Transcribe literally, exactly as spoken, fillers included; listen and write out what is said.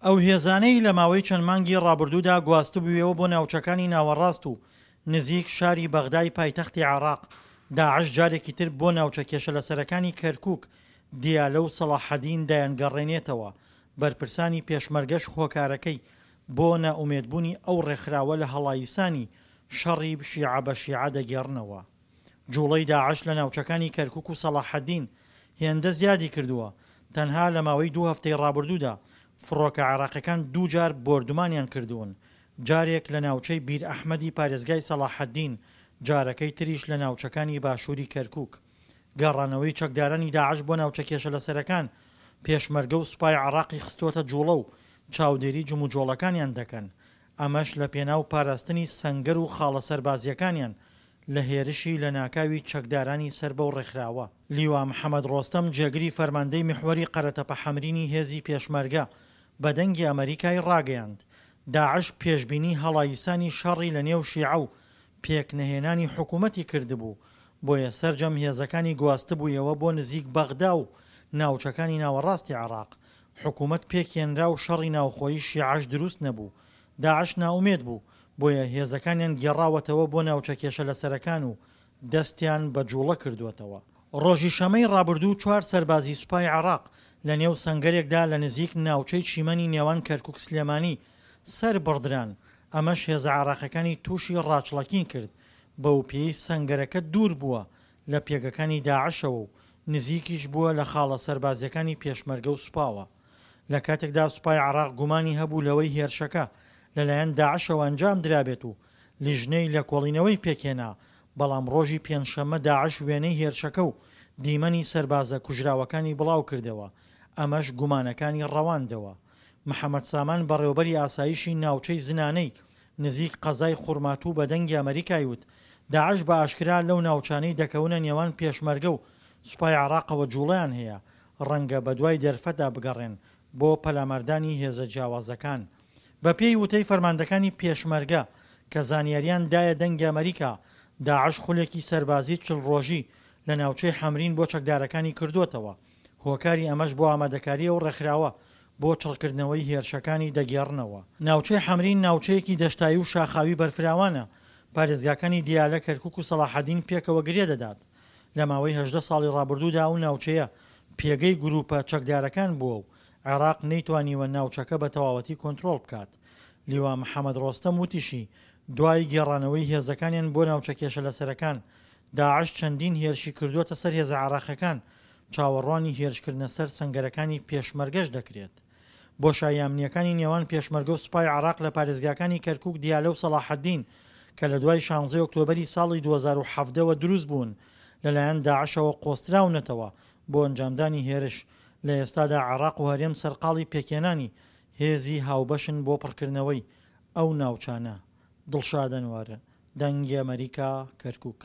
ئەو هێزانەی لە ماوەی چەند مانگی ڕابردوودا گواستبوویەوە بۆ ناوچەکانی ناوەڕاست و نزیک شاری بەغدای پایتەختی عێراق، داعش جارێکی تر بۆ ناوچە کێشە لەسەرەکانی کەرکوک، دیالە و سەڵاحەدین دەیانگەڕێنێتەوە، بەرپرسانی پێشمەرگەش هۆکارەکەی بۆ نائومێدبوونی ئەو ڕێکخراوە لە هەڵایسانی شەڕی شیعە بە شیعە دەگێڕنەوە. جوڵەی داعش لە ناوچەکانی کەرکوک و سەڵاحەدین هێندە زیادی کردووە، تەنها لە ماوەی دوو هەفتەی ڕابردوودا فڕۆکە عێراقیەکان دووجار بۆردومانیان کردوون، جارێک لە ناوچەی بیر ئەحمەدی پارێزگای سەڵاحەدین، جارەکەی تریش لە ناوچەکانی باشووری کەرکوک. گەڕانەوەی چەکدارانی داعش بۆ ناوچە کێشە لەسەرەکان، پێشمەرگە و سوپای عێراقی خستووەتە جوڵە و چاودێری جموجۆڵەکانیان دەکەن، ئەمەش لەپێناو پاراستنی سەنگەر و خاڵە سەربازییەکانیان لە هێرشی لەناکاوی چەکدارانی سەر بەو ڕێکخراوە. لیوا محەمەد ڕۆستەم جێگری فەرماندەی میحوەری قەرەتەپە حەمرینی هێزی پێشمەرگە بە دەنگی ئەمەریکای ڕاگەیاند داعش پێشبینی هەڵایسانی شەڕی لە نێو شیعە و پێکنەهێنانی حکومەتی کردبوو بۆیە سەرجەم هێزەکانی گواستبوویەوە بۆ نزیک بەغدا و ناوچەکانی ناوەڕاستی عێراق حکومەت پێکهێنرا و شەڕی ناوخۆیی شیعەش دروست نەبوو داعش نائومێد بوو بۆیە هێزەکانیان گێڕاوەتەوە بۆ ناوچە کێشە لەسەرەکان و دەستیان بە جوڵە کردووەتەوە. ڕۆژی شەمەی ڕابردوو چوار سەربازی سوپای عێراق لە نێو سەنگەرێکدا لە نزیک ناوچەی چیمەنی نێوان کەرکوک سلێمانی سەر بڕدران، ئەمەش هێزە عێراقیەکانی تووشی ڕاچڵەکین کرد بەوپێیەی سەنگەرەکە دوور بووە لە پێگەکانی داعشەوە و نزیکیش بووە لە خاڵە سەربازیەکانی پێشمەرگە و سوپاوە. لە کاتێکدا سوپای عێراق گومانی هەبوو لەوەی هێرشەکە لەلایەن داعشەوە ئەنجام درابێت و لیژنەی لێکۆڵینەوەی پێکهێنا، بەڵام ڕۆژی پێنجشەممە داعش وێنەی هێرشەکە و دیمەنی سەربازە کوژراوەکانی بڵاوکردەوە، ئەمەش گومانەکانی ڕەواندەوە. محەمەد سامان بەڕێوبەری ئاسایشی ناوچەی زنانەی نزیک قەزای خورماتوو بە دەنگی ئەمەریکای وت داعش بە ئاشکرا لەو ناوچانەی دەکەونە نێوان پێشمەرگە و سوپای عێراقەوە جوڵەیان هەیە، ڕەنگە بەدوای دەرفەتدا بگەڕێن بۆ پەلاماردانی هێزە جیاوازەکان. بەپێی وتەی فەرماندەکانی پێشمەرگە کە زانیاریان دایە دەنگی ئەمەریکا، داعش خولێکی سەربازی چل ڕۆژی لە ناوچەی حەمرین بۆ چەکدارەکانی کردووەتەوە، هۆکاری ئەمەش بۆ ئامادەکاری ئەو ڕێکخراوە بۆ چڕکردنەوەی هێرشەکانی دەگێڕنەوە. ناوچەی حەمرین ناوچەیەکی دەشتایی و شاخاوی بەرفراوانە، پارێزگاکانی دیالە، کەرکوک و سەڵاحەدین پێکەوە گرێ دەدات. لە ماوەی هەژدە ساڵی ڕابردوودا ئەو ناوچەیە پێگەی گرووپە چەکدارەکان بووە و عێراق نەیتوانیوە ناوچەکە بە تەواوەتی کۆنترۆڵ بکات. لیوا محەمەد ڕۆستەم وتیشی، دوای گێڕانەوەی هێزەکانیان بۆ ناوچە کێشە لەسەرەکان، داعش چەندین هێرشی کردووەتە سەر هێزە عێراقیەکان، چاوەڕوانی هێرشکردنە سەر سەنگەرەکانی پێشمەرگەش دەکرێت. بۆشاییە ئەمنییەکانی نێوان پێشمەرگە و سوپای عێراق لە پارێزگاکانی کەرکوک، دیالە و سەڵاحەدین کە لە دوای شانزەی ئۆکتۆبەری ساڵی دوو هەزار و حەڤدە وە دروست بوون، لەلایەن داعشەوە قۆستراونەتەوە بۆ ئەنجامدانی هێرش، لە ئێستادا عێراق و هەرێم سەرقاڵی پێکهێنانی هێزی هاوبەشن بۆ پڕکردنەوەی ئەو ناوچانە. دڵشاد ئەنوەر، دەنگی ئەمەریکا، کەرکوک.